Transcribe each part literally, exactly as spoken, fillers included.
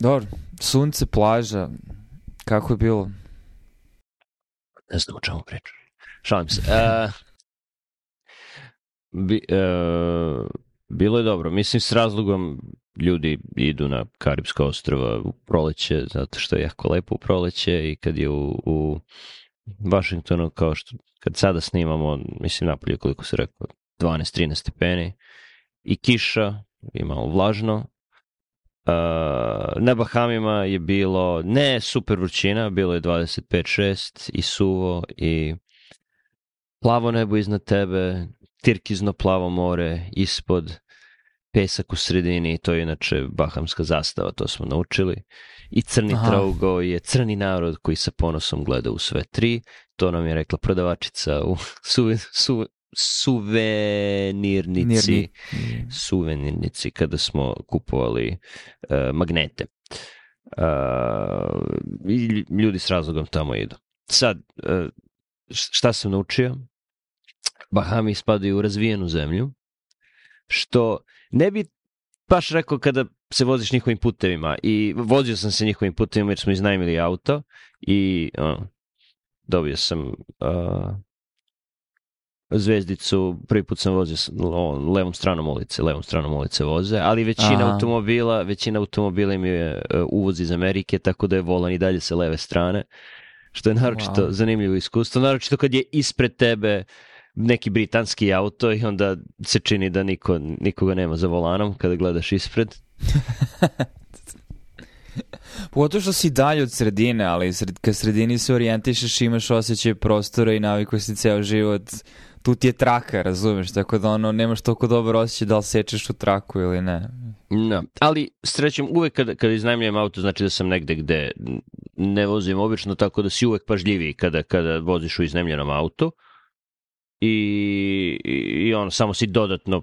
Dobro, sunce, plaža, kako je bilo? Ne znam o čemu pričam. Šalim se. Uh, bi, uh, bilo je dobro. Mislim, s razlogom ljudi idu na Karibska ostrva u proleće, zato što je jako lepo u proleće i kad je u, u Washingtonu, kao što kad sada snimamo, mislim napolje koliko se rekao, dvanaest trinaest stepeni i kiša, i malo vlažno. Uh, na Bahamima je bilo ne super vrućina, bilo je dvadeset pet šest i suvo i plavo nebo iznad tebe, tirkizno plavo more ispod, pesak u sredini, to je inače bahamska zastava, to smo naučili. I crni Aha. traugo je crni narod koji sa ponosom gleda u sve tri. To nam je rekla prodavačica u suve, suve, suvenirnici, Nirni. suvenirnici kada smo kupovali uh, magnete. Uh, I ljudi s razlogom tamo idu. Sad, uh, šta sam naučio? Bahami spadaju u razvijenu zemlju, što ne bi baš rekao kada se voziš njihovim putevima. I vozio sam se njihovim putevima jer smo iznajmili auto i uh, dobio sam uh, zvezdicu, prvi put sam vozio levom stranom ulice, levom stranom ulice voze, ali većina Aha. automobila, većina automobila im je uh, uvoz iz Amerike, tako da je volan i dalje sa leve strane, što je naročito wow. zanimljivo iskustvo, naročito kad je ispred tebe neki britanski auto i onda se čini da niko, nikoga nema za volanom kada gledaš ispred. Pogotovo što si dalje od sredine, ali sred, kad sredini se orijentišeš, imaš osjećaj prostora i navikuješ si ceo život, tu ti je traka, razumeš, tako da ono, nemaš toliko dobar osjećaj da li sečeš u traku ili ne. No, ali srećem, uvek kada, kada iznajmljujem auto, znači da sam negde gde ne vozim obično, tako da si uvek pažljiviji kada, kada voziš u iznajmljenom autu. I, i on samo si dodatno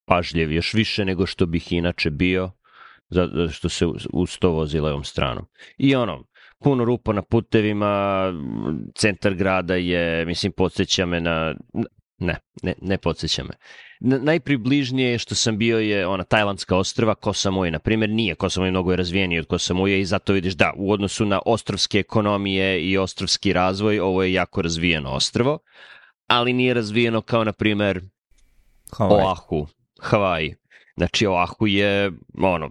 pažljiv, još više nego što bih inače bio, zato što se uz to vozi levom stranom. I ono, puno rupa na putevima, centar grada je, mislim, podsjeća me na... Ne, ne, ne podsjeća me. Na, najpribližnije što sam bio je ona Tajlandska ostrva, Koh Samui, na primjer, nije. Koh Samui mnogo je razvijeniji od Koh Samui i zato vidiš da, u odnosu na ostrovske ekonomije i ostrovski razvoj, ovo je jako razvijeno ostrvo, ali nije razvijeno kao, na primjer, Oahu, Havaji. Znači, Oahu je, ono,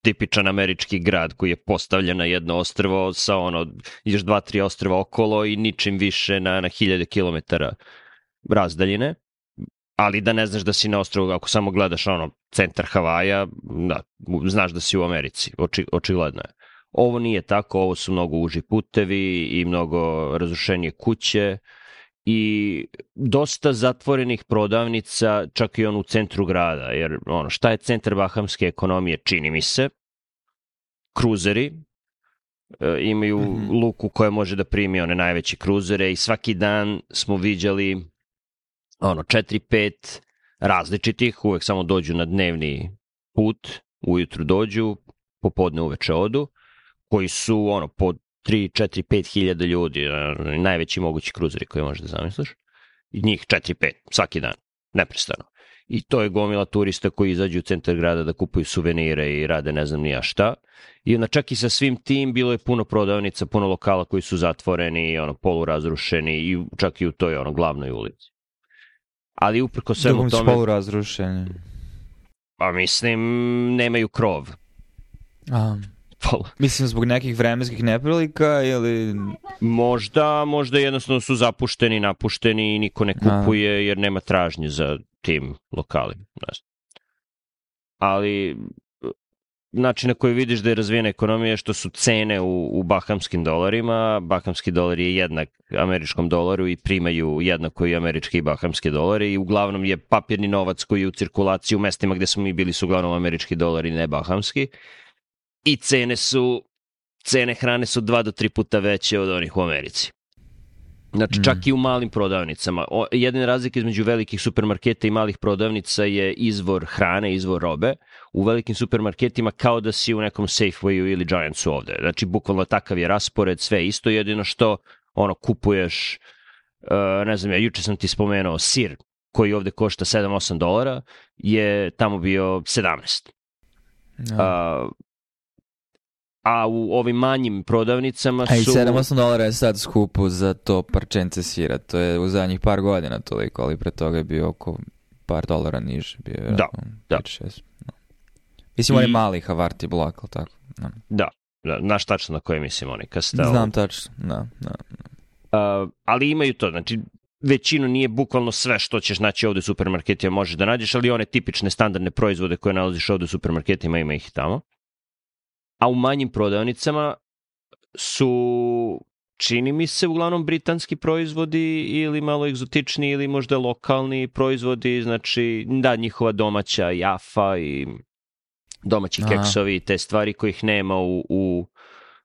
tipičan američki grad koji je postavljen na jedno ostrvo sa, ono, još dva, tri ostrva okolo i ničim više na, na hiljade kilometara razdaljine. Ali da ne znaš da si na ostrvu, ako samo gledaš, ono, centar Havaja, da, znaš da si u Americi, oči, očigledno je. Ovo nije tako, ovo su mnogo uži putevi i mnogo razrušenije kuće, i dosta zatvorenih prodavnica, čak i on u centru grada, jer ono, šta je centar bahamske ekonomije, čini mi se, kruzeri, e, imaju mm-hmm. luku koja može da primi one najveće kruzere i svaki dan smo viđali ono, četiri pet različitih, uvek samo dođu na dnevni put, ujutru dođu, popodne uveče odu, koji su ono, pod tri, četiri, pet hiljada ljudi, najveći mogući kruzeri koji možeš da zamisliš, i njih četiri pet, svaki dan, neprestano. I to je gomila turista koji izađu u centar grada da kupuju suvenire i rade ne znam nija šta. I onda čak i sa svim tim bilo je puno prodavnica, puno lokala koji su zatvoreni, ono, polurazrušeni i čak i u toj ono, glavnoj ulici. Ali uprko svemu tome... Dugom polurazrušeni? Pa mislim, nemaju krov. Aha. Mislim, zbog nekih vremenskih neprilika ili... Možda, možda jednostavno su zapušteni, napušteni i niko ne kupuje jer nema tražnje za tim lokalima. Ali način na koji vidiš da je razvijena ekonomija je što su cene u, u bahamskim dolarima. Bahamski dolar je jednak američkom dolaru i primaju jednako i američki i bahamske dolare i uglavnom je papirni novac koji je u cirkulaciji u mestima gde smo mi bili su uglavnom američki dolari, ne bahamski. I cene su, cene hrane su dva do tri puta veće od onih u Americi. Znači, mm. čak i u malim prodavnicama. O, jedina razlika između velikih supermarketa i malih prodavnica je izvor hrane, izvor robe. U velikim supermarketima kao da si u nekom Safewayu ili Giantsu ovde. Znači, bukvalno takav je raspored, sve isto, jedino što ono, kupuješ, uh, ne znam ja, juče sam ti spomenuo sir koji ovde košta sedam osam dolara, je tamo bio sedamnaest. Ja. Uh, a u ovim manjim prodavnicama su... A i sedam osam dolara je sad skupo za to parčence sira, to je u zadnjih par godina toliko, ali pre toga je bio oko par dolara niže. Bio je da, da. pet šest. No. Mislim, I... on je mali Havarti blok, ali tako. No. Da, da, znaš tačno na koje mislim oni, Castello. Znam tačno, da, da. Uh, ali imaju to, znači većinu nije bukvalno sve što ćeš naći ovde u supermarketima možeš da nađeš, ali one tipične standardne proizvode koje nalaziš ovde u supermarketima ima ih tamo. A u manjim prodavnicama su, čini mi se, uglavnom britanski proizvodi ili malo egzotični ili možda lokalni proizvodi, znači da, njihova domaća jafa i domaći keksovi i te stvari kojih nema u, u,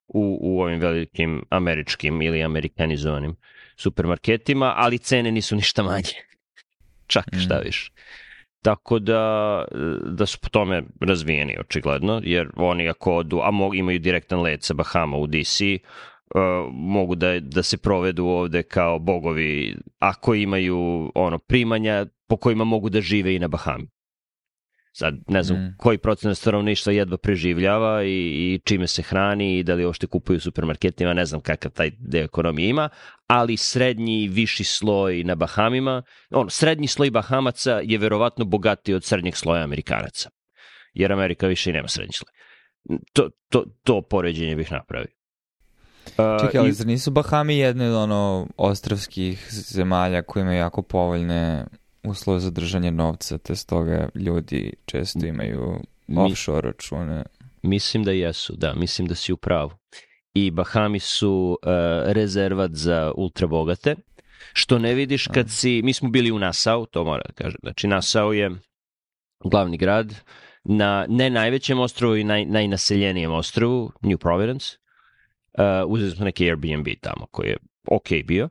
u, u ovim velikim američkim ili amerikanizovanim supermarketima, ali cene nisu ništa manje. Čak šta više. Tako da, da su po tome razvijeni, očigledno, jer oni ako odu, a mogu, imaju direktan let sa Bahama u D C, uh, mogu da, da se provedu ovde kao bogovi, ako imaju ono primanja po kojima mogu da žive i na Bahami. Sad, ne znam mm. koji procenat stanovništva jedva preživljava i, i čime se hrani i da li uopšte kupuju u supermarketima, ne znam kakav taj deo ekonomije ima, ali srednji i viši sloj na Bahamima, ono, srednji sloj Bahamaca je verovatno bogatiji od srednjeg sloja Amerikanaca, jer Amerika više i nema srednji sloj. To, to, to poređenje bih napravio. Uh, Čekaj, ali i... zar nisu Bahami jedne od ono ostravskih zemalja koje imaju jako povoljne uslove za držanje novca, te stoga ljudi često imaju offshore račune? Mislim da jesu, da, mislim da si u pravu. I Bahami su uh, rezervat za ultrabogate, što ne vidiš kad si, mi smo bili u Nassau, to mora da kažem, znači Nassau je glavni grad na ne najvećem ostrovu i naj, najnaseljenijem ostrovu, New Providence. Uh, uzeli smo neki Airbnb tamo koji je ok bio.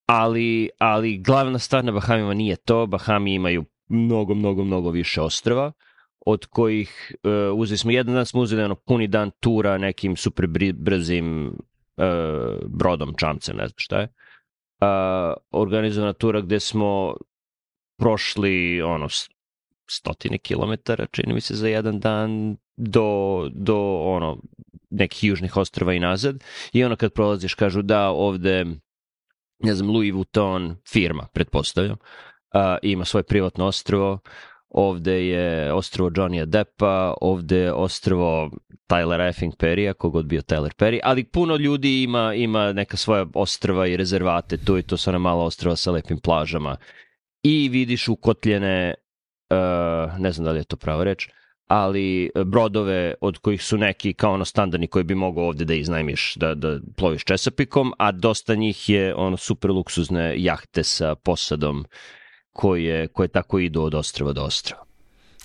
Ali, ali glavna stvar na Bahamima nije to. Bahami imaju mnogo, mnogo, mnogo više ostrva, od kojih uh, uzeli smo, jedan dan smo uzeli ono puni dan tura nekim super brzim uh, brodom, čamcem, ne znam šta je. Uh, organizovana tura gde smo prošli ono stotine kilometara, čini mi se, za jedan dan do, do ono nekih južnih ostrva i nazad. I ono kad prolaziš kažu da ovde, ne znam, Louis Vuitton firma, pretpostavljam, uh, ima svoje privatno ostrvo, ovde je ostrvo Johnny'a Deppa, ovde je ostrvo Tylera effing Perrya, kogod bio Tyler Perry, ali puno ljudi ima, ima neka svoja ostrva i rezervate, tu i to su ona mala ostrva sa lepim plažama. I vidiš ukotljene, uh, ne znam da li je to prava reč, ali brodove od kojih su neki kao ono standardni koji bi mogao ovde da iznajmiš, da, da ploviš česapikom, a dosta njih je ono super luksuzne jahte sa posadom koje, koje tako idu od ostrava do ostrava.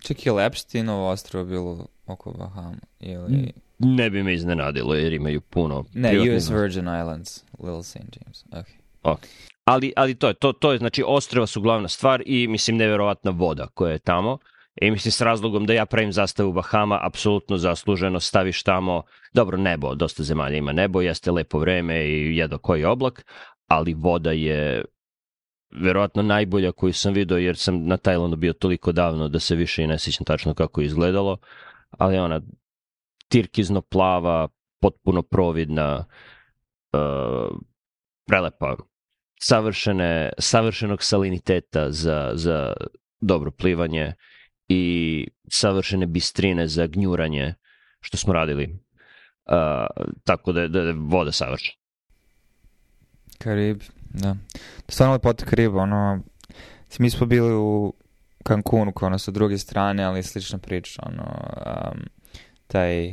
Čak je Epsteinovo ostrvo bilo oko Bahama? Ili... Ne bi me iznenadilo jer imaju puno... Ne, U S Virgin Islands, Little Saint James. Okay. Okay. Ali, ali to je, to, to je, znači ostrva su glavna stvar i mislim neverovatna voda koja je tamo. I mislim s razlogom da ja pravim zastavu Bahama, apsolutno zasluženo, staviš tamo, dobro, nebo, dosta zemalja ima nebo, jeste lepo vreme i jedno koji oblak, ali voda je verovatno najbolja koju sam vidio, jer sam na Tajlandu bio toliko davno da se više i ne sjećam tačno kako je izgledalo, ali ona tirkizno plava, potpuno providna, uh, prelepa, savršene, savršenog saliniteta za, za dobro plivanje i savršene bistrine za gnjuranje, što smo radili. Uh, tako da je, da je voda savršena. Karib, da. Stvarno lepota Kariba, ono, mi smo bili u Cancunu, kao ono sa druge strane, ali slična priča, ono, um, taj,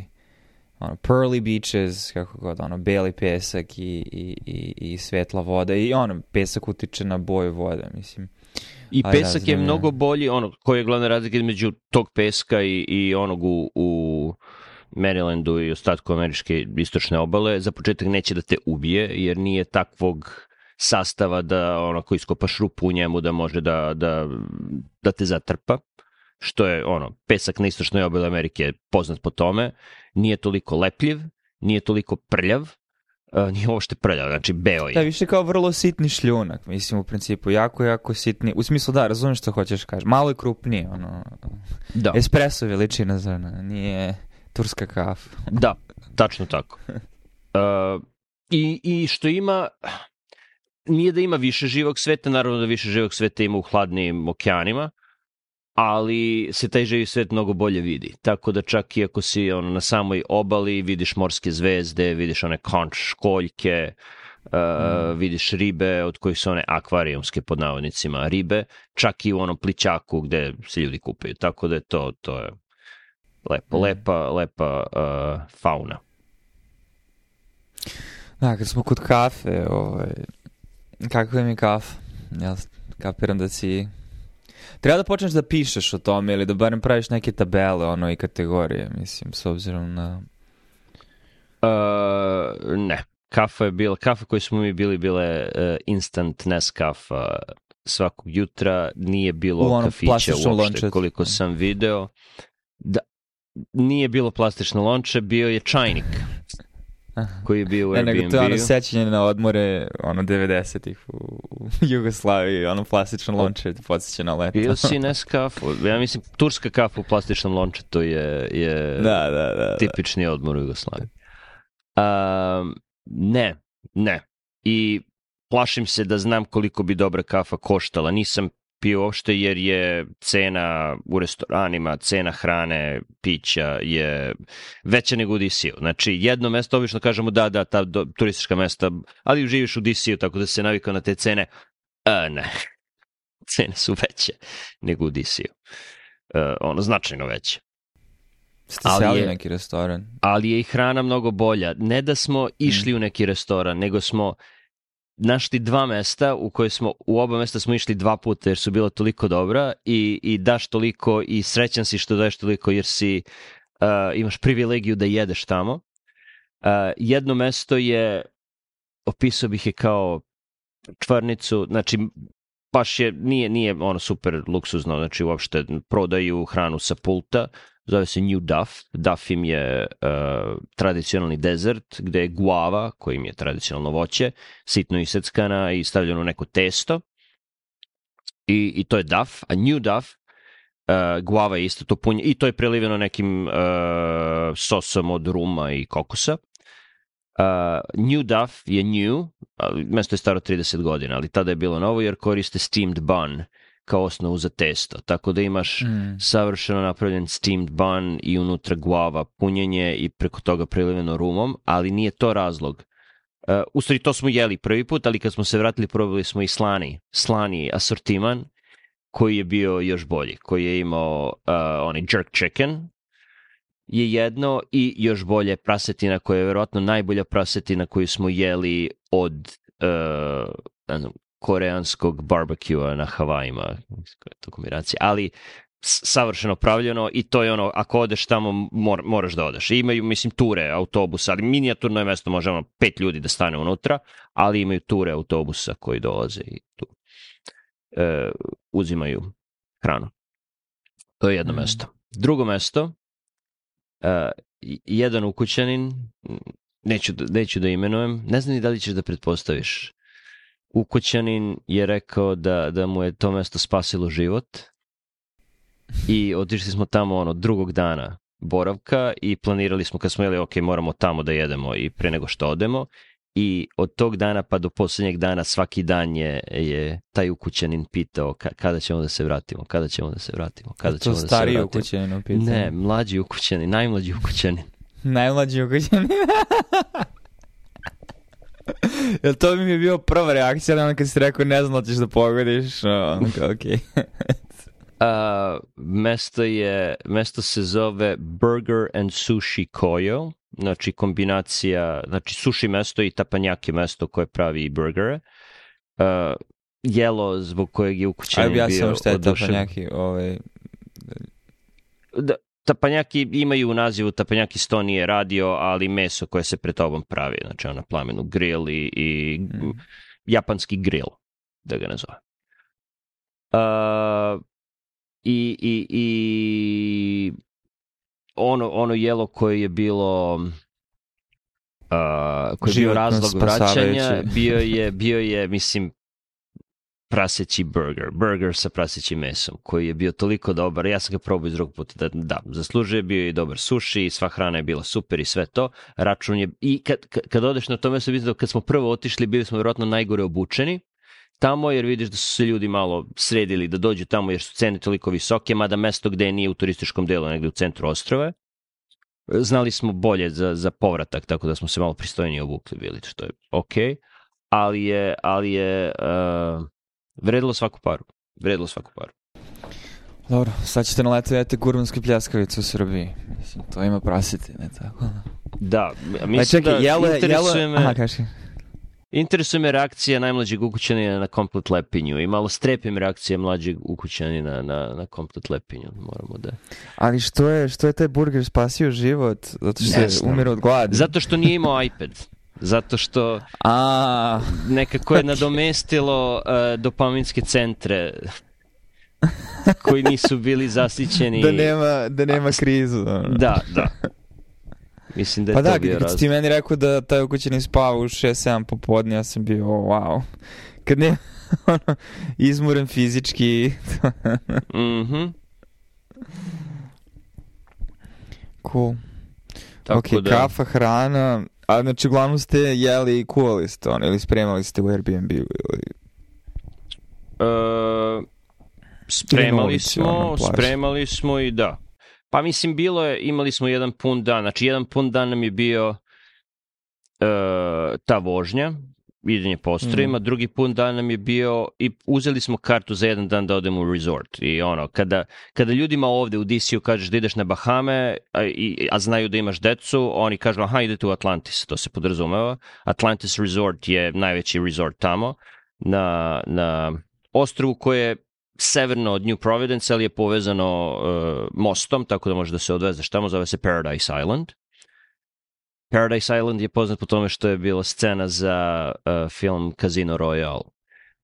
ono, pearly beaches, kako god, ono, beli pesak i, i, i, i svetla voda, i ono, pesak utiče na boju vode, mislim. I pesak je mnogo bolji, ono, koji je glavna razlika između tog peska i, i onog u, u Marylandu i ostatku američke istočne obale. Za početak neće da te ubije, jer nije takvog sastava da onako iskopaš rupu u njemu da može da, da, da te zatrpa. Što je, ono, pesak na istočnoj obali Amerike poznat po tome. Nije toliko lepljiv, nije toliko prljav, Uh, nije uopšte prljav, znači beo je. Da, više kao vrlo sitni šljunak, mislim, u principu, jako, jako sitni, u smislu da, razumiješ što hoćeš kaži, malo je krupnije, ono, da. Espresso veličina zrna, nije turska kafa. Da, Tačno tako. Uh, i, I što ima, nije da ima više živog sveta, naravno da više živog sveta ima u hladnijim okeanima, ali se taj živi svet mnogo bolje vidi. Tako da čak i ako si ono, na samoj obali, vidiš morske zvezde, vidiš one konč, školjke, uh, mm. vidiš ribe od kojih su one akvarijumske pod navodnicima ribe, čak i u onom plićaku gde se ljudi kupaju. Tako da je to, to je lepo, mm. lepa, lepa uh, fauna. Da, kad smo kod kafe, ovaj, kako je mi kafa? Ja kapiram da si... Treba da počneš da pišeš o tome ili da barem praviš neke tabele ono i kategorije, mislim, s obzirom na... Uh, ne, kafa je bila, kafa koju smo mi bili bile uh, instant Nescafe svakog jutra, nije bilo kafića uopšte, lončet. Koliko sam video. Da, nije bilo plastično lonče, bio je čajnik koji je bio u Airbnb. Ne, nego to je ono sećanje na odmore ono devedesetih u, u Jugoslaviji, ono plastično lonče podsjeća na leto. Bio si Nescafe, ja mislim turska kafa u plastičnom lončetu je, je da, da, da, tipični odmor u Jugoslaviji. Um, ne, ne. I plašim se da znam koliko bi dobra kafa koštala. Nisam pio uopšte jer je cena u restoranima, cena hrane, pića je veća nego u D C-u. Znači, jedno mesto, obično kažemo da, da, ta do, turistička mesta, ali živiš u D C-u, tako da se navikao na te cene. A, ne, cene su veće nego u D C-u. Uh, ono, značajno veće. Ste seli u neki restoran? Ali je i hrana mnogo bolja. Ne da smo išli mm. u neki restoran, nego smo našli dva mesta u koje smo, u oba mesta smo išli dva puta jer su bila toliko dobra i, i daš toliko i srećan si što daješ toliko jer si, uh, imaš privilegiju da jedeš tamo. Uh, jedno mesto je, opisao bih je kao čvarnicu, znači baš je, nije, nije ono super luksuzno, znači uopšte prodaju hranu sa pulta, zove se New Duff. Duff im je uh, tradicionalni dezert gde je guava, koji im je tradicionalno voće, sitno iseckana i stavljeno u neko testo. I, i to je Duff. A New Duff, uh, guava je isto to punje, i to je preliveno nekim uh, sosom od ruma i kokosa. Uh, New Duff je new, ali mesto je staro trideset godina, ali tada je bilo novo jer koriste steamed bun kao osnovu za testo. Tako da imaš mm. savršeno napravljen steamed bun i unutra guava, punjenje i preko toga preliveno rumom, ali nije to razlog. Uh, u stvari to smo jeli prvi put, ali kad smo se vratili probali smo i slani, slani asortiman koji je bio još bolji, koji je imao uh, onaj jerk chicken je jedno i još bolje prasetina koja je verovatno najbolja prasetina koju smo jeli od uh, ne znam, koreanskog barbekua na Havajima, to kombinacija, ali savršeno pravljeno i to je ono, ako odeš tamo mor, moraš da odeš. I imaju, mislim, ture autobusa, ali minijaturno je mesto, može ono pet ljudi da stane unutra, ali imaju ture autobusa koji dolaze i tu e, uzimaju hranu. To je jedno mm. mesto. Drugo mesto, e, jedan ukućanin, neću, neću da imenujem, ne znam ni da li ćeš da pretpostaviš, ukućanin je rekao da, da mu je to mesto spasilo život i otišli smo tamo ono drugog dana boravka i planirali smo kad smo jeli ok, moramo tamo da jedemo i pre nego što odemo i od tog dana pa do posljednjeg dana svaki dan je, je taj ukućanin pitao ka, kada ćemo da se vratimo, kada ćemo da se vratimo, kada ćemo da se vratimo. To stariji ukućanin pitao? Ne, mlađi ukućanin, najmlađi ukućanin. Najmlađi ukućanin? Jel to bi mi je bio prva reakcija na ono kad si rekao ne znam da ćeš da pogodiš? No, ok. uh, mesto je, mesto se zove Burger and Sushi Koyo, znači kombinacija, znači sushi mesto i tapanjaki mesto koje pravi burgere. Uh, jelo zbog kojeg je ukućanin bio odušen. Aj, ja sam šta je tapanjaki, ovaj... Da, tapanjaki imaju u nazivu, tapanjaki sto nije radio, ali meso koje se pred tobom pravi, znači ona plamenu grill i, i mm. japanski grill, da ga nazove. Uh, i, i, I ono, ono jelo koje je bilo uh, koje je bio razlog vraćanja, bio je, bio je, mislim, praseći burger, burger sa prasećim mesom, koji je bio toliko dobar, ja sam ga probao iz drugog puta, da, da, zaslužuje, bio i dobar sushi, sva hrana je bila super i sve to, račun je, i kad, kad odeš na to mesto, vidim da kad smo prvo otišli, bili smo vjerojatno najgore obučeni tamo, jer vidiš da su se ljudi malo sredili da dođu tamo, jer su cene toliko visoke, mada mesto gde nije u turističkom delu, negde u centru ostrava. Znali smo bolje za, za povratak, tako da smo se malo pristojnije obukli bili, što je okej. Okay. Ali je, ali je uh, vredilo svaku paru. Vredilo svaku paru. Dobro, sad ćete na leto jete gurmanske pljeskavice u Srbiji. Mislim, to ima prasiti, ne tako? Da, mislim čekaj, da jele, interesuje jele... me... Aha, kaži. Interesuje me reakcija najmlađeg ukućanina na komplet lepinju i malo strepim reakcije mlađeg ukućanina na, na komplet lepinju. Moramo da... Ali što je, što je taj burger spasio život? Zato što se umire od gladi? Zato što nije imao iPad. Zato što A, nekako je nadomestilo uh, dopaminske centre koji nisu bili zasićeni. Da nema, da nema krizu. Da, da. Mislim da je pa to da, bio kad razlog. ti meni rekao da taj ukućanin spava u šest sedam popodne, ja sam bio, oh, wow. Kad ne, ono, izmuren fizički. Mhm. Cool. Tako ok, da... kafa, hrana, a znači uglavnom ste jeli i kuvali ste ono, ili spremali ste u Airbnb ili... Uh, spremali ulici, smo, ono, spremali smo i da. Pa mislim, bilo je, imali smo jedan pun dan, znači jedan pun dan nam je bio uh, ta vožnja, idenje po ostrvima, mm. drugi pun dan nam je bio, i uzeli smo kartu za jedan dan da odemo u resort. I ono, kada, kada ljudima ovde u D C-u kažeš da ideš na Bahame, a, i, a znaju da imaš decu, oni kažu, aha, idete u Atlantis, to se podrazumeva. Atlantis Resort je najveći resort tamo, na, na ostrvu koje je severno od New Providence, ali je povezano uh, mostom, tako da možeš da se odvezeš tamo, zove se Paradise Island. Paradise Island je poznat po tome što je bila scena za uh, film Casino Royale,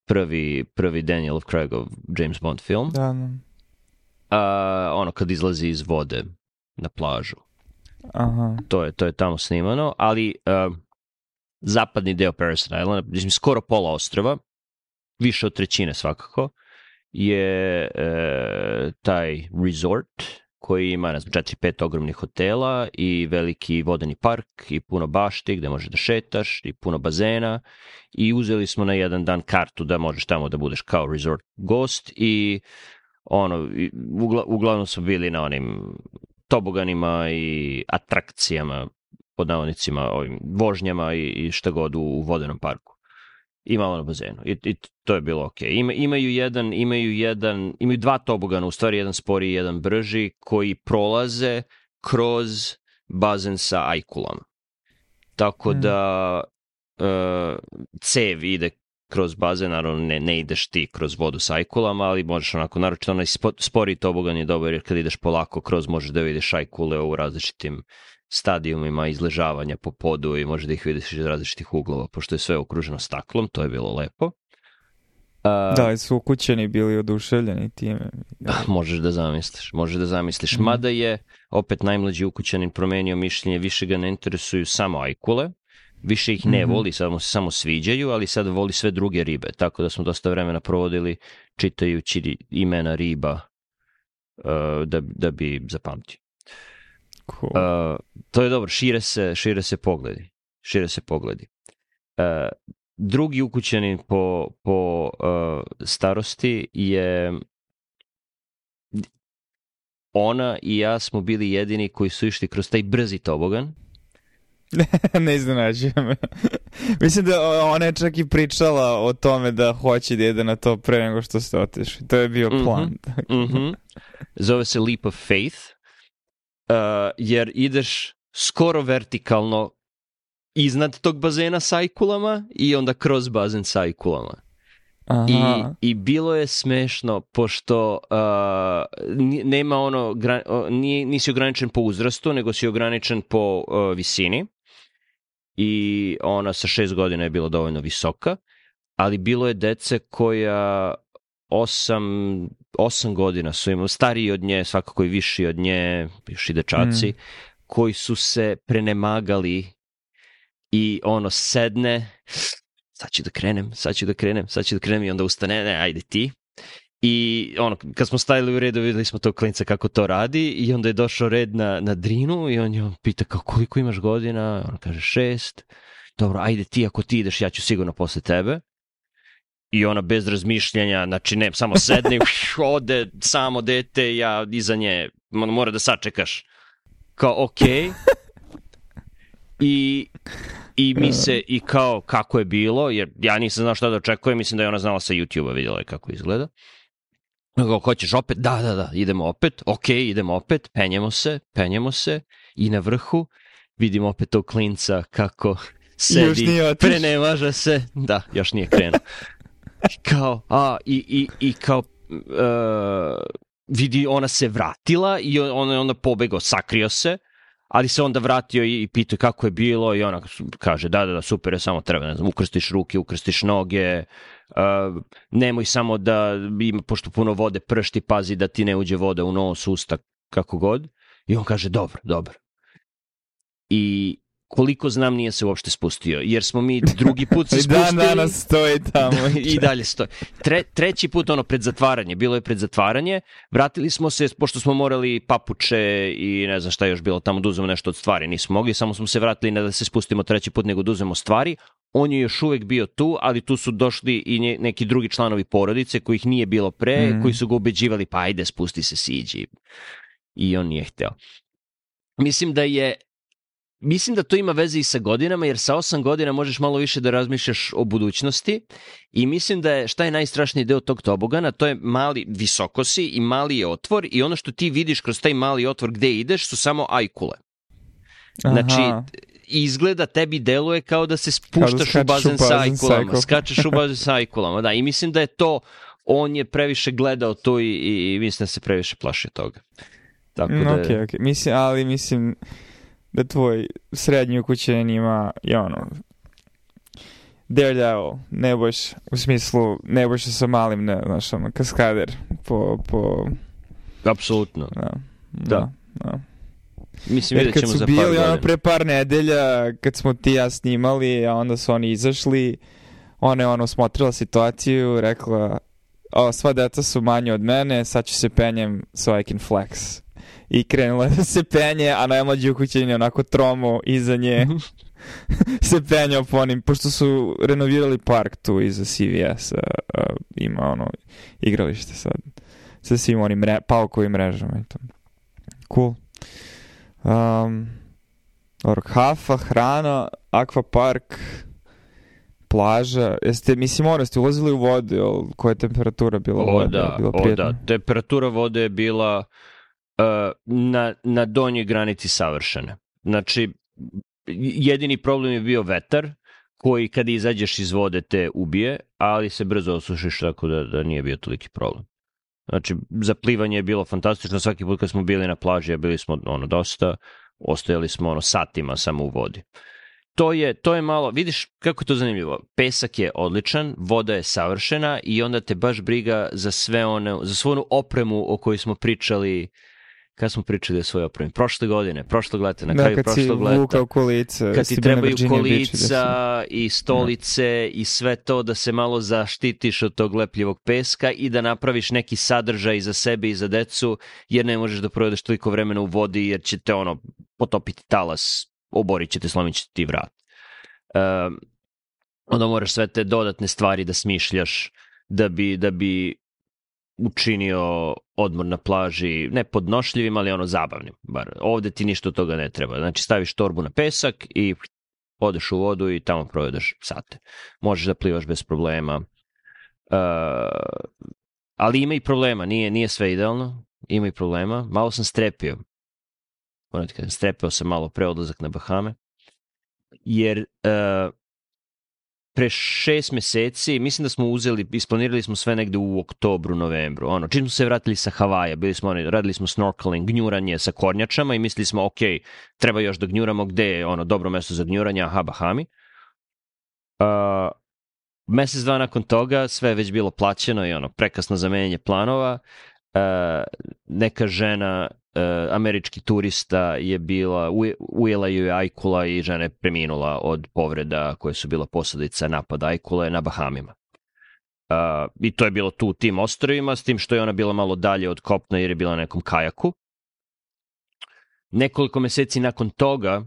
prvi, prvi Danielov Craigov James Bond film. Da, da. Uh, ono kad izlazi iz vode na plažu. Aha. To je, to je tamo snimano, ali uh, zapadni deo Paradise Island, mislim skoro pola ostrva, više od trećine svakako, je e, taj resort koji ima, ne znam, četiri pet ogromnih hotela i veliki vodeni park i puno bašti gde možeš da šetaš i puno bazena, i uzeli smo na jedan dan kartu da možeš tamo da budeš kao resort gost i ono, ugla, uglavnom smo bili na onim toboganima i atrakcijama, pod navodnicima, ovim vožnjama i, i šta god u, u vodenom parku. I malo na bazenu. I, i to je bilo okej. Ima, imaju jedan, imaju jedan, imaju dva tobogana, u stvari jedan sporiji i jedan brži, koji prolaze kroz bazen sa ajkulama. Tako mm. da uh, cev ide kroz bazen, naravno ne, ne ideš ti kroz vodu sa ajkulama, ali možeš onako, naročito onaj sporiji tobogan je dobar, jer kad ideš polako kroz možeš da vidiš ajkule u različitim stadijumima izležavanja po podu i može da ih vidiš iz različitih uglova, pošto je sve okruženo staklom, to je bilo lepo. Uh, da, i su ukućeni bili oduševljeni time. Da, možeš da zamisliš, možeš da zamisliš. Mm. Mada je opet najmlađi ukućanin promenio mišljenje, više ga ne interesuju samo ajkule, više ih ne mm-hmm. voli, samo se samo sviđaju, ali sad voli sve druge ribe, tako da smo dosta vremena provodili čitajući imena riba uh, da, da bi zapamtio. Cool. Uh, to je dobro, šire se, šire se pogledi. Šire se pogledi. Uh, drugi ukućanin po, po uh, starosti je ona i ja smo bili jedini koji su išli kroz taj brzi tobogan. Ne iznenađujem me. Mislim da ona je čak i pričala o tome da hoće da jede na to pre nego što ste otišli. To je bio plan. Mm-hmm. Mm-hmm. Zove se Leap of Faith. Uh, jer ideš skoro vertikalno iznad tog bazena s ajkulama i onda kroz bazen s ajkulama. I, I bilo je smešno, pošto uh, nema ono, gra, nije, nisi ograničen po uzrastu, nego si ograničen po uh, visini. I ona sa šest godina je bila dovoljno visoka, ali bilo je dece koja osam, osam godina su imali, stariji od nje, svakako i viši od nje, još i dečaci, mm. koji su se prenemagali i ono sedne, sad ću da krenem, sad ću da krenem, sad ću da krenem i onda ustane, ne, ajde ti. I ono, kad smo stajali u redu, videli smo tog klinca kako to radi i onda je došao red na, na Drinu i on je pita kao koliko imaš godina, on kaže šest, dobro, ajde ti, ako ti ideš, ja ću sigurno posle tebe. I ona bez razmišljanja, znači ne, samo sedne, ode samo dete, ja iza nje, mora da sačekaš. Kao, okej. Okay. I, I mi se, i kao, kako je bilo, jer ja nisam znao šta da očekujem, mislim da je ona znala sa YouTube-a, vidjela je kako izgleda. Kao, hoćeš opet? Da, da, da, idemo opet, okej, okay, idemo opet, penjemo se, penjemo se i na vrhu vidimo opet tog klinca kako sedi, prenemaža se, da, još nije krenuo. Kao, a, i, i, i kao, uh, vidi, ona se vratila i on je onda pobegao, sakrio se, ali se onda vratio i, i pitao kako je bilo i ona kaže, da, da, da, super je, samo treba, ne znam, ukrstiš ruke, ukrstiš noge, uh, nemoj samo da, ima, pošto puno vode pršti, pazi da ti ne uđe voda u nos, usta, kako god. I on kaže, dobro, dobro. I koliko znam nije se uopšte spustio, jer smo mi drugi put se spustili. I dan danas stoji tamo. Da, i dalje stoji. Tre, treći put ono pred zatvaranje, bilo je pred zatvaranje, vratili smo se, pošto smo morali papuče i ne znam šta je još bilo tamo, da uzmemo nešto od stvari, nismo mogli, samo smo se vratili ne da se spustimo treći put, nego da uzmemo stvari. On je još uvek bio tu, ali tu su došli i nje, neki drugi članovi porodice kojih nije bilo pre, mm. koji su ga ubeđivali, pa ajde, spusti se, siđi. I on nije hteo. Mislim da je Mislim da to ima veze i sa godinama, jer sa osam godina možeš malo više da razmišljaš o budućnosti i mislim da je, šta je najstrašniji deo tog tobogana, to je mali, visoko si i mali je otvor i ono što ti vidiš kroz taj mali otvor gde ideš su samo ajkule. Znači, aha. Izgleda tebi deluje kao da se spuštaš da u bazen, u bazen sa ajkulama, skačeš u bazen sa ajkulama, da, i mislim da je to, on je previše gledao to i, i, i mislim da se previše plaši toga. Tako da... Ok, ok, mislim, ali mislim... da tvoj srednji ukućen ima i ono Daredevil, ne boš u smislu, ne boš sa malim, ne, znaš, ono, kaskader po... po... Apsolutno. Da. Da. da. Mislim, vidjet ćemo za par godina. Kad su bili ono pre par nedelja, kad smo ti ja snimali, a onda su oni izašli, ona je ono smotrila situaciju, rekla, o, sva deca su manje od mene, sad ću se penjem so I can flex. I krenula da se penje, a najmlađi ukućen je onako tromo iza nje se penjao po onim, pošto su renovirali park tu iza C V S-a, a, ima ono igralište sad sa svim onim mre, paukovim mrežama i to. Cool. Um, or, kafa, hrana, akvapark, plaža. Jeste, mislim, ono, ste ulazili u vodu, jel, koja je temperatura bila o, vode? Da, bila o da, temperatura vode je bila Uh, na, na donjoj granici savršene. Znači, jedini problem je bio vetar, koji kad izađeš iz vode te ubije, ali se brzo osušiš, tako da, da nije bio toliki problem. Znači, za plivanje je bilo fantastično, svaki put kad smo bili na plaži, a bili smo ono dosta, ostajali smo ono satima samo u vodi. To je, to je malo, vidiš kako je to zanimljivo, pesak je odličan, voda je savršena i onda te baš briga za sve one, za svu onu opremu o kojoj smo pričali. Kad smo pričali o svojoj opremi? Prošle godine, prošlog leta, na da, kraju prošlog leta. Vukao kolica, kad ti trebaju kolica i stolice da. I sve to da se malo zaštitiš od tog lepljivog peska i da napraviš neki sadržaj za sebe i za decu, jer ne možeš da provedeš toliko vremena u vodi, jer će te ono potopiti talas, oborit će te, slomit će ti vrat. Um, onda moraš sve te dodatne stvari da smišljaš da bi, da bi učinio odmor na plaži, ne podnošljivim, ali ono zabavnim. Bar ovde ti ništa od toga ne treba. Znači staviš torbu na pesak i odeš u vodu i tamo provedeš sate. Možeš da plivaš bez problema. Uh, ali ima i problema, nije, nije sve idealno. Ima i problema. Malo sam strepio. Moram ti kažem, strepio sam malo pre odlazak na Bahame. Jer uh, pre šest meseci, mislim da smo uzeli, isplanirali smo sve negde u oktobru, novembru. Ono, čim smo se vratili sa Havaja, bili smo, radili smo snorkeling, gnjuranje sa kornjačama i mislili smo, ok, treba još da gnjuramo, gde je ono dobro mesto za gnjuranje, aha, Bahami. Uh, mesec dva nakon toga sve je već bilo plaćeno i ono, prekasno za menjanje planova. neka žena, američki turista je bila, ujela ju je ajkula i žena je preminula od povreda koje su bila posledica napada ajkule na Bahamima. Uh, I to je bilo tu u tim ostrvima, s tim što je ona bila malo dalje od kopna jer je bila na nekom kajaku. Nekoliko meseci nakon toga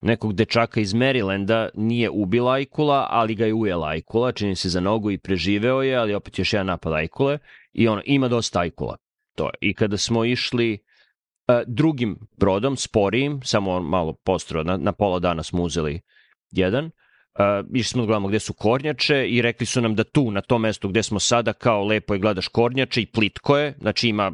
nekog dečaka iz Marylanda nije ubila ajkula, ali ga je ujela ajkula, čini se za nogu i preživeo je, ali opet još jedan napad ajkule i ono, ima dosta ajkula. To je. I kada smo išli uh, drugim brodom, sporijim, samo malo postro, na, na pola dana smo uzeli jedan, uh, išli smo da gledamo gde su kornjače i rekli su nam da tu, na tom mestu gde smo sada, kao lepo je gledaš kornjače i plitko je, znači ima,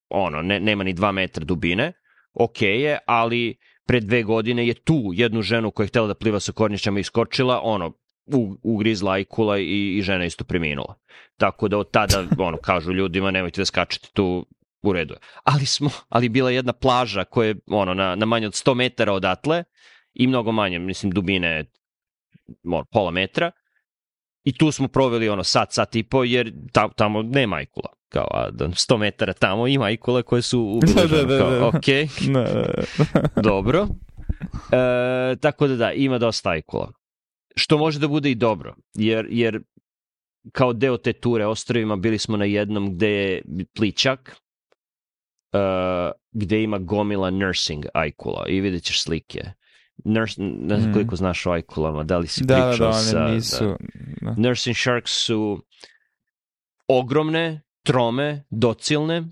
ono, ne, nema ni dva metra dubine, ok je, ali pre dve godine je tu jednu ženu koja je htjela da pliva sa kornjačama iskočila, ono, u, ugrizla ajkula i, i žena isto preminula. Tako da od tada, ono, kažu ljudima, nemojte da skačete tu, u redu je. Ali smo, ali bila jedna plaža koja je, ono, na, na manje od sto metara odatle i mnogo manje, mislim, dubine ono, pola metra. I tu smo proveli, ono, sat, sat i po, jer ta, tamo nema ajkula. Kao, a sto metara tamo ima ajkule koje su ubile ženu. Kao, ok, dobro. E, tako da da, ima dosta ajkula. Što može da bude i dobro, jer, jer kao deo te ture ostrvima bili smo na jednom gde je pličak, uh, gde ima gomila nursing ajkula i vidjet ćeš slike. Nurs, ne znam koliko znaš o ajkulama, da li si da, pričao da, sa... Da, nisu... Da. Nursing sharks su ogromne, trome, docilne,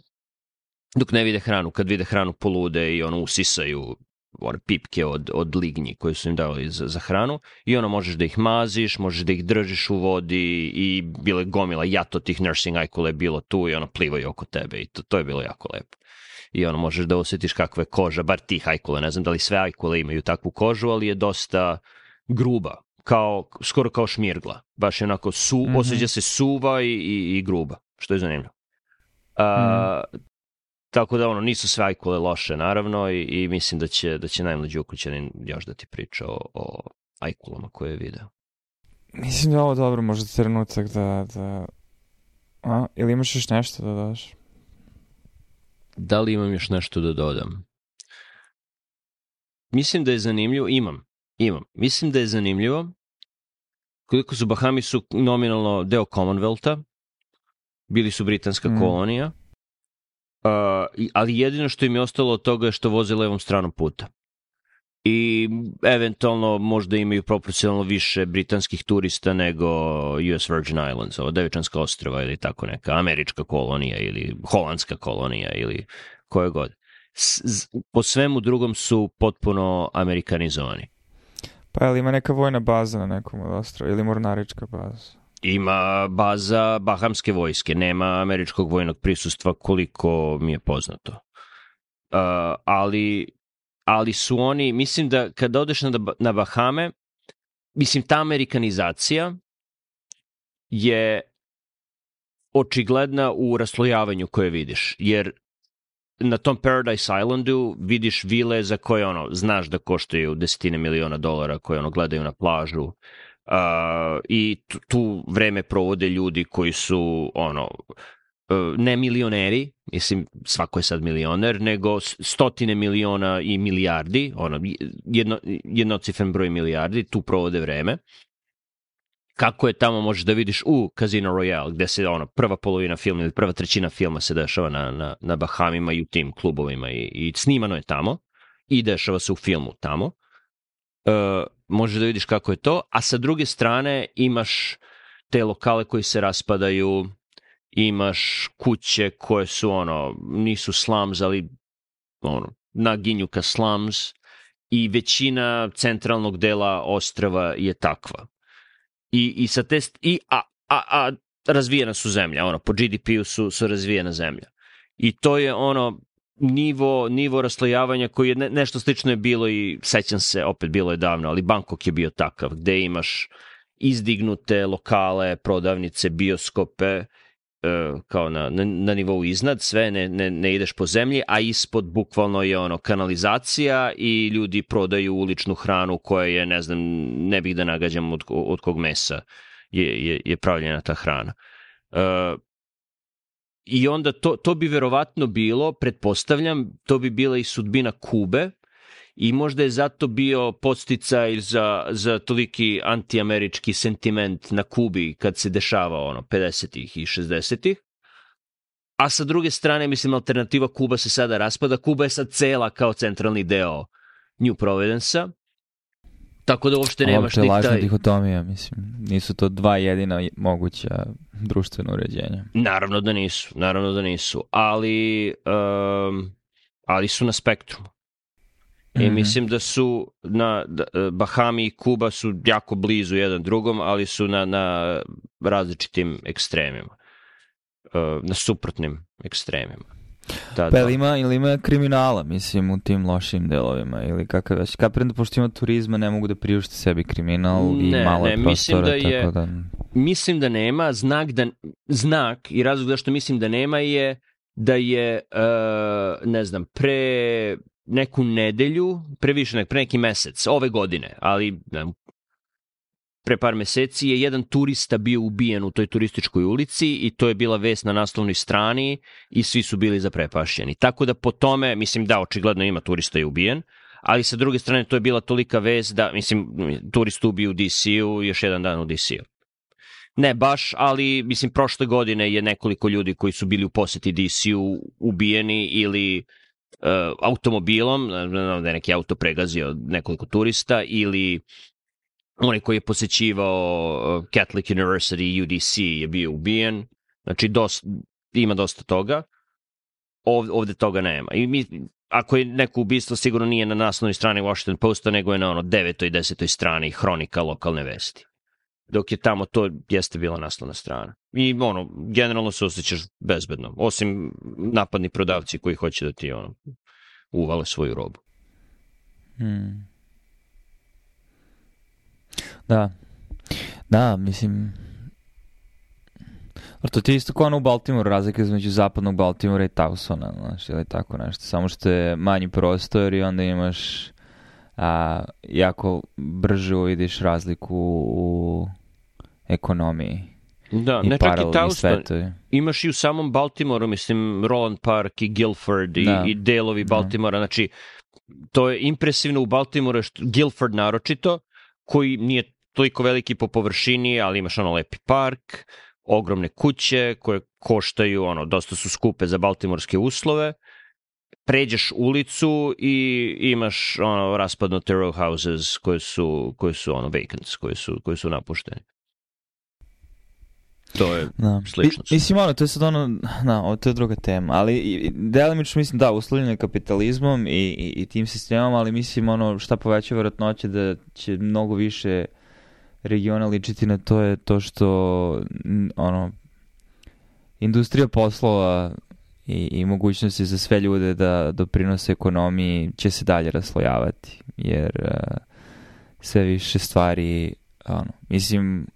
dok ne vide hranu. Kad vide hranu polude i ono usisaju one pipke od, od lignji koje su im davali za, za hranu i ono možeš da ih maziš, možeš da ih držiš u vodi i bilo je gomila jato tih nursing ajkule je bilo tu i ono plivaju oko tebe i to, to je bilo jako lepo. I ono možeš da osjetiš kakva je koža, bar tih ajkule, ne znam da li sve ajkule imaju takvu kožu, ali je dosta gruba, kao, skoro kao šmirgla. Baš je onako, su, mm-hmm. osjeća se suva i, i, i gruba, što je zanimljivo. A, mm. Tako da ono, nisu sve ajkule loše, naravno, i, i mislim da će, da će najmlađi ukućanin još da ti priča o, o ajkulama koje je video. Mislim da je ovo dobro, možda trenutak da... da... A, ili imaš još nešto da daš? Da li imam još nešto da dodam? Mislim da je zanimljivo, imam, imam. Mislim da je zanimljivo koliko su Bahami su nominalno deo Commonwealtha, bili su britanska mm. kolonija, uh, ali jedino što im je ostalo od toga je što voze levom stranom puta. I eventualno možda imaju proporcionalno više britanskih turista nego U S Virgin Islands, ovo Devičanska ostrva ili tako neka američka kolonija ili holandska kolonija ili koje god. S, po svemu drugom su potpuno amerikanizovani. Pa ali ima neka vojna baza na nekom od ostrva ili mornarička baza? Ima baza bahamske vojske, nema američkog vojnog prisustva koliko mi je poznato. Uh, ali... ali su oni, mislim da kada odeš na, na Bahame, mislim ta amerikanizacija je očigledna u raslojavanju koje vidiš, jer na tom Paradise Islandu vidiš vile za koje ono, znaš da koštaju desetine miliona dolara, koje ono gledaju na plažu uh, i tu, tu vreme provode ljudi koji su ono, ne milioneri, mislim svako je sad milioner, nego stotine miliona i milijardi, ono, jedno, jednocifren broj milijardi, tu provode vreme. Kako je tamo možeš da vidiš u Casino Royale, gde se ono, prva polovina filma ili prva trećina filma se dešava na, na, na Bahamima i u tim klubovima i, i snimano je tamo i dešava se u filmu tamo. Uh, možeš da vidiš kako je to, a sa druge strane imaš te lokale koji se raspadaju, imaš kuće koje su ono, nisu slums, ali ono, naginju ka slums i većina centralnog dela ostrva je takva. I, i sa te, i, a, a, a razvijena su zemlja, ono, po G D P-u su, su razvijena zemlja. I to je ono, nivo, nivo raslojavanja koji je ne, nešto slično je bilo i sećam se, opet bilo je davno, ali Bangkok je bio takav, gde imaš izdignute lokale, prodavnice, bioskope, kao na, na, na nivou iznad, sve ne, ne, ne ideš po zemlji, a ispod bukvalno je ono kanalizacija i ljudi prodaju uličnu hranu koja je, ne znam, ne bih da nagađam od, od kog mesa je, je, je pravljena ta hrana. Uh, I onda to, to bi verovatno bilo, pretpostavljam, to bi bila i sudbina Kube i možda je zato bio podsticaj za, za toliki antiamerički sentiment na Kubi kad se dešava ono pedesetih i šezdesetih. A sa druge strane, mislim, alternativa Kuba se sada raspada. Kuba je sad cela kao centralni deo New Providence-a. Tako da uopšte nemaš ni taj... Lažna taj... dihotomija, mislim. Nisu to dva jedina moguća društvena uređenja. Naravno da nisu, naravno da nisu. Ali, um, ali su na spektrumu. I mm-hmm. mislim da su na da, Bahami i Kuba su jako blizu jedan drugom, ali su na, na različitim ekstremima. Na suprotnim ekstremima. Da, pa da. Ima, ili ima kriminala, mislim, u tim lošim delovima, ili kakav već. Kapiram da pošto ima turizma, ne mogu da priušte sebi kriminal i ne, malo ne, prostora, mislim da je, tako da... Mislim da nema, znak, da, znak i razlog zašto mislim da nema je da je, uh, ne znam, pre neku nedelju, pre više nek, pre neki mesec, ove godine, ali ne, pre par meseci je jedan turista bio ubijen u toj turističkoj ulici i to je bila vest na naslovnoj strani i svi su bili zaprepašćeni. Tako da po tome, mislim da očigledno ima turista je ubijen, ali sa druge strane to je bila tolika vest da, mislim, turist ubio u D C-u, još jedan dan u D C-u. Ne baš, ali mislim prošle godine je nekoliko ljudi koji su bili u poseti D C-u ubijeni ili uh, automobilom, da je neki auto pregazio nekoliko turista, ili onaj koji je posećivao Catholic University U D C je bio ubijen. Znači dosta, ima dosta toga. Ovde, ovde toga nema. I mi, ako je neko ubistvo, sigurno nije na naslovnoj strani Washington Posta, nego je na ono devetoj i desetoj strani hronika lokalne vesti. Dok je tamo to jeste bila naslovna strana. I ono, generalno se osjećaš bezbedno. Osim napadni prodavci koji hoće da ti ono, uvale svoju robu. Hmm. Da. Da, mislim... To ti je isto kao ono u Baltimoru, razlika između zapadnog Baltimora i Towsona, znaš, ili tako nešto. Samo što je manji prostor i onda imaš a, jako brže uvidiš razliku u ekonomiji. Da, ne čak i Towson. Imaš i u samom Baltimoru, mislim, Roland Park i Guilford i, i delovi Baltimora. Da. Znači, to je impresivno u Baltimoru, Guilford naročito, koji nije toliko veliki po površini, ali imaš ono lepi park, ogromne kuće koje koštaju, ono, dosta su skupe za baltimorske uslove. Pređeš ulicu i imaš ono raspadnute row houses koje su, koje su ono vacants, koje su, koje su napušteni. To je da. Slično. I, mislim, ono, to je sad ono, na, to je druga tema, ali delimično mislim da, uslovljeno kapitalizmom i, i, i tim sistemom, ali mislim, ono, šta poveća vjerojatnoće da će mnogo više regiona ličiti na to je to što, ono, industrija poslova i, i mogućnosti za sve ljude da doprinose ekonomiji će se dalje raslojavati, jer uh, sve više stvari, ono, mislim,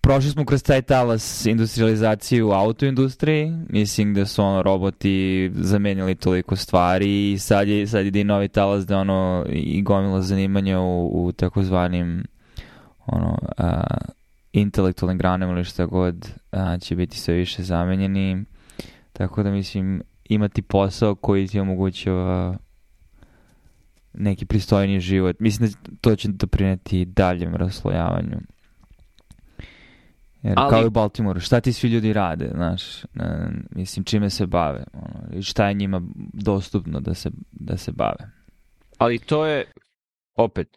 prošli smo kroz taj talas industrializacije u autoindustriji, mislim da su ono roboti zamenili toliko stvari i sad je, sad ide i novi talas da ono i gomila zanimanja u, u takozvanim ono, a, intelektualnim granama ili šta god a, će biti sve više zamenjeni, tako da mislim imati posao koji ti omogućava neki pristojniji život. Mislim da to će doprineti daljem raslojavanju. Jer ali, kao i u Baltimoru, šta ti svi ljudi rade, znaš, ne, mislim, čime se bave, ono, i šta je njima dostupno da se, da se bave. Ali to je, opet,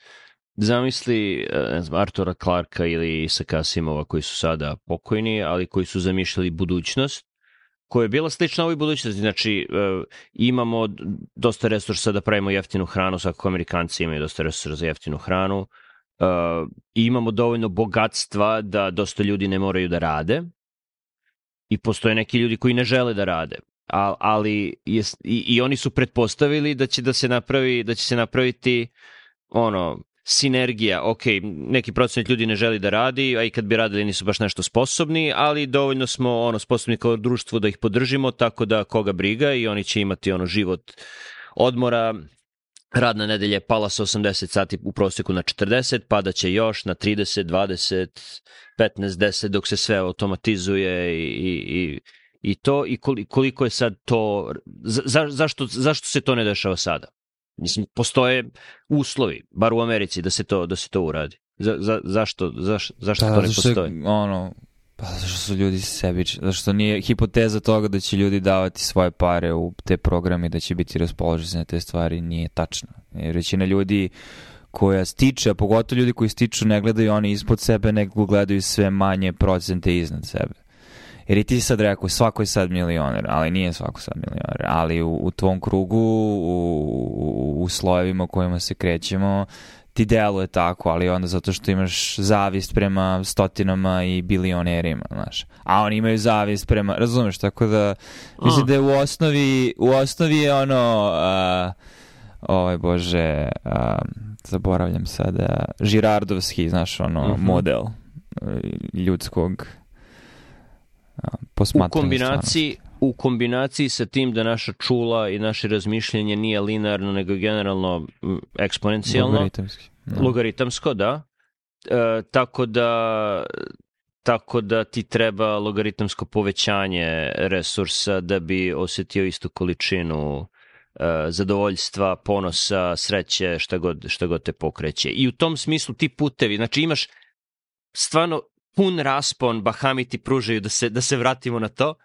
zamisli, ne znam, Artura Clarka ili Isaka Asimova koji su sada pokojni, ali koji su zamišljali budućnost, koja je bila slična ovoj budućnosti. Znači, uh, imamo dosta resursa da pravimo jeftinu hranu, svakako Amerikanci imaju dosta resursa za jeftinu hranu, uh, i imamo dovoljno bogatstva da dosta ljudi ne moraju da rade i postoje neki ljudi koji ne žele da rade. A, ali je, i, i oni su pretpostavili da će da se napravi, da će se napraviti ono sinergija, ok, neki procenat ljudi ne želi da radi, a i kad bi radili nisu baš nešto sposobni, ali dovoljno smo ono sposobni kao društvo da ih podržimo, tako da koga briga i oni će imati ono život odmora. Radna nedelja je pala sa osamdeset sati u prosjeku na četrdeset, pada će još na trideset, dvadeset, petnaest, deset dok se sve automatizuje i, i, I to, i koliko je sad to, za, zašto, zašto se to ne dešava sada? Mislim, postoje uslovi, bar u Americi, da se to, da se to uradi. Za, za, zašto, zaš, zašto da, to ne zašto postoji? Je, ono, pa zašto su ljudi sebični, zašto nije hipoteza toga da će ljudi davati svoje pare u te programe, da će biti raspoloženi na te stvari, nije tačna. Jer većina ljudi koja stiče, a pogotovo ljudi koji stiču, ne gledaju oni ispod sebe, nego gledaju sve manje procente iznad sebe. Jer i ti sad rekao, svako je sad milioner, ali nije svako sad milioner, ali u, u tvom krugu, u, u, u slojevima u kojima se krećemo, ti deluje tako, ali onda zato što imaš zavist prema stotinama i bilionerima, znaš. A oni imaju zavist prema, razumeš, tako da, mislim da je u osnovi, u osnovi je ono, uh, ovaj bože, uh, zaboravljam sada, Žirardovski, znaš, ono, uh-huh. model uh, ljudskog U kombinaciji, u kombinaciji sa tim da naša čula i naše razmišljanje nije linearno, nego generalno eksponencijalno. Logaritamski. Da. Logaritamsko, da. E, tako da tako da ti treba logaritamsko povećanje resursa da bi osetio istu količinu e, zadovoljstva, ponosa, sreće, šta god, šta god te pokreće. I u tom smislu ti putevi, znači imaš stvarno pun raspon, Bahami ti pružaju, da se, da se vratimo na to, uh,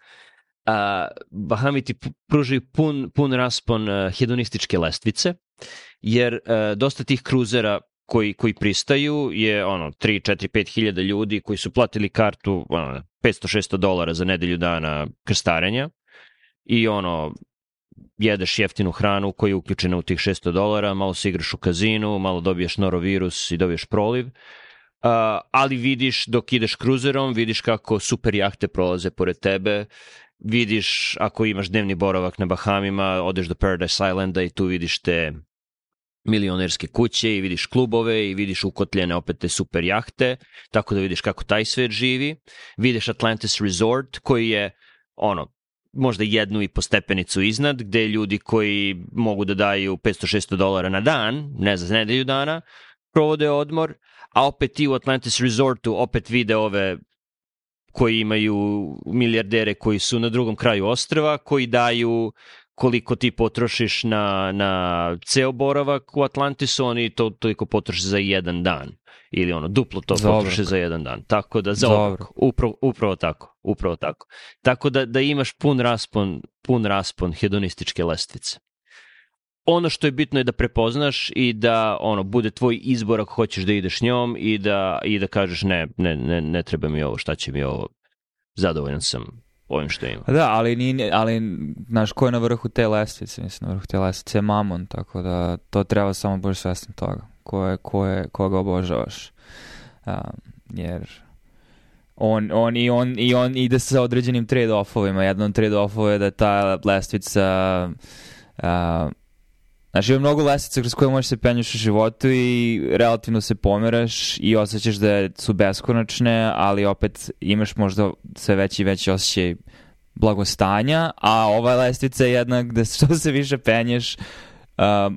Bahami ti pružaju pun, pun raspon uh, hedonističke lestvice, jer uh, dosta tih kruzera koji, koji pristaju je ono tri, četiri, pet hiljada ljudi koji su platili kartu ono, petsto šesto dolara za nedelju dana krstarenja i ono jedeš jeftinu hranu koja je uključena u tih šesto dolara, malo se igraš u kazinu, malo dobiješ norovirus i dobiješ proliv. Uh, ali vidiš dok ideš kruzerom, vidiš kako super jahte prolaze pored tebe, vidiš ako imaš dnevni boravak na Bahamima, odeš do Paradise Islanda i tu vidiš te milionerske kuće i vidiš klubove i vidiš ukotljene opet te super jahte, tako da vidiš kako taj svet živi. Vidiš Atlantis Resort koji je ono možda jednu i po stepenicu iznad, gde ljudi koji mogu da daju petsto šesto dolara na dan, ne za nedelju dana, provode odmor, a opet ti u Atlantis Resortu opet vide ove koji imaju milijardere koji su na drugom kraju ostrva, koji daju koliko ti potrošiš na, na ceo boravak u Atlantisu, oni to toliko potroše za jedan dan. Ili ono, duplo to za potroše za jedan dan. Tako da, za obrok. Upravo, upravo tako. Upravo tako. Tako da, da imaš pun raspon, pun raspon hedonističke lestvice. Ono što je bitno je da prepoznaš i da ono bude tvoj izbor ako hoćeš da ideš njom i da, i da kažeš ne, ne, ne, ne treba mi ovo, šta će mi ovo, zadovoljan sam ovim što imam. Da, ali, ni, ali znaš ko je na vrhu te lestvice, mislim, na vrhu te lestvice je Mamon, tako da to treba samo budeš svestan toga, ko je, ko je, koga obožavaš, um, jer on, on, i on, i on ide sa određenim trade-offovima, jedan od trade-offova je da ta lestvica uh, znači ima mnogo lestvica kroz koje možeš se penjuš u životu i relativno se pomeraš i osjećaš da su beskonačne, ali opet imaš možda sve veći i veći osjećaj blagostanja, a ova lestvica je jedna gde što se više penješ, uh,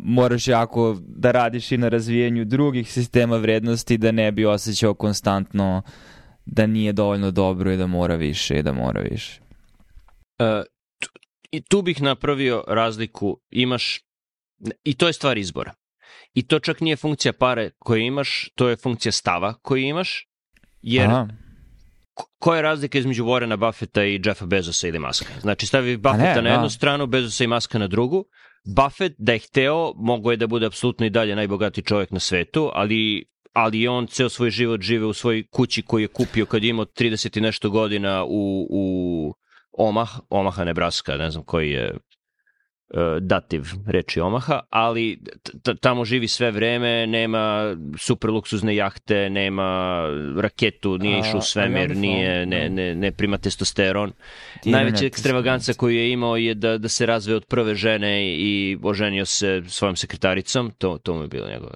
moraš jako da radiš i na razvijenju drugih sistema vrednosti da ne bi osjećao konstantno da nije dovoljno dobro i da mora više i da mora više. Uh, tu, i tu bih napravio razliku, imaš i to je stvar izbora. I to čak nije funkcija pare koje imaš, to je funkcija stava koji imaš, jer Aha. koja je razlika između Warrena Buffetta i Jeffa Bezosa ili Muska? Znači stavi Buffetta ne, na jednu no. stranu, Bezosa i Muska na drugu. Buffett da je hteo, mogo je da bude apsolutno i dalje najbogatiji čovjek na svetu, ali, ali on ceo svoj život žive u svojoj kući koju je kupio kad je imao trideset i nešto godina u, u Omaha, Omaha, Nebraska, ne znam koji je dativ reči Omaha, ali t- tamo živi sve vreme, nema super luksuzne jahte, nema raketu, nije išao u svemir, nije, ne, ne, ne prima testosteron. Najveća ekstravaganca koju je imao je da, da se razveo od prve žene i oženio se svojom sekretaricom, to, to mu je bilo njegov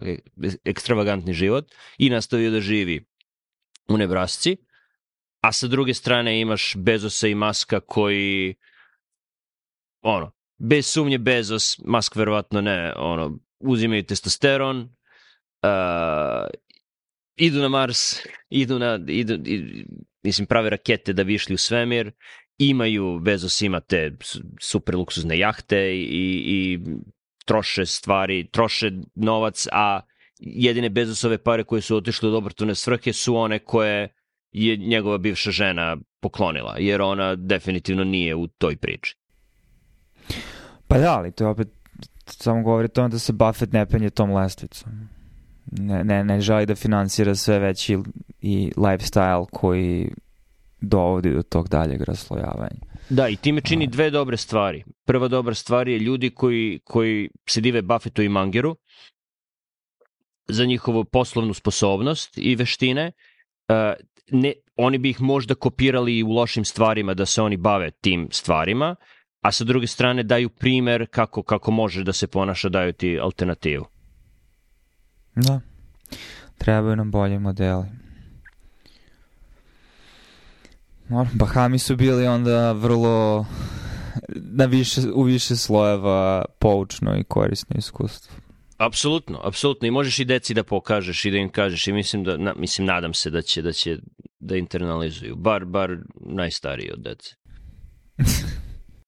ekstravagantni život i nastavio da živi u Nebrasci, a sa druge strane imaš Bezosa i Muska koji ono, bez sumnje Bezos, Musk verovatno ne, ono, uzimaju testosteron, uh, idu na Mars, idu na, idu, idu, mislim, prave rakete da bi išli u svemir imaju, Bezos ima te super luksuzne jahte i, i troše stvari, troše novac, a jedine Bezosove pare koje su otišle od obrtune svrhe su one koje je njegova bivša žena poklonila, jer ona definitivno nije u toj priči. Pa da, ali to je opet samo govori tome da se Buffett ne penje tom lestvicom. Ne, ne, ne želi da finansira sve veći i lifestyle koji dovodi do tog daljeg raslojavanja. Da, i time čini dve dobre stvari. Prva dobra stvar je ljudi koji, koji se dive Buffettu i Mangeru za njihovu poslovnu sposobnost i veštine. Uh, ne, oni bi ih možda kopirali i u lošim stvarima da se oni bave tim stvarima, a sa druge strane daju primer kako, kako može da se ponaša, daju ti alternativu. Da, trebaju nam bolji modeli. Bahami su bili onda vrlo na više, u više slojeva poučno i korisno iskustvo. Apsolutno, apsolutno. I možeš i deci da pokažeš i da im kažeš i mislim da, na, mislim, nadam se da će da će da internalizuju. Bar, bar najstariji od dece.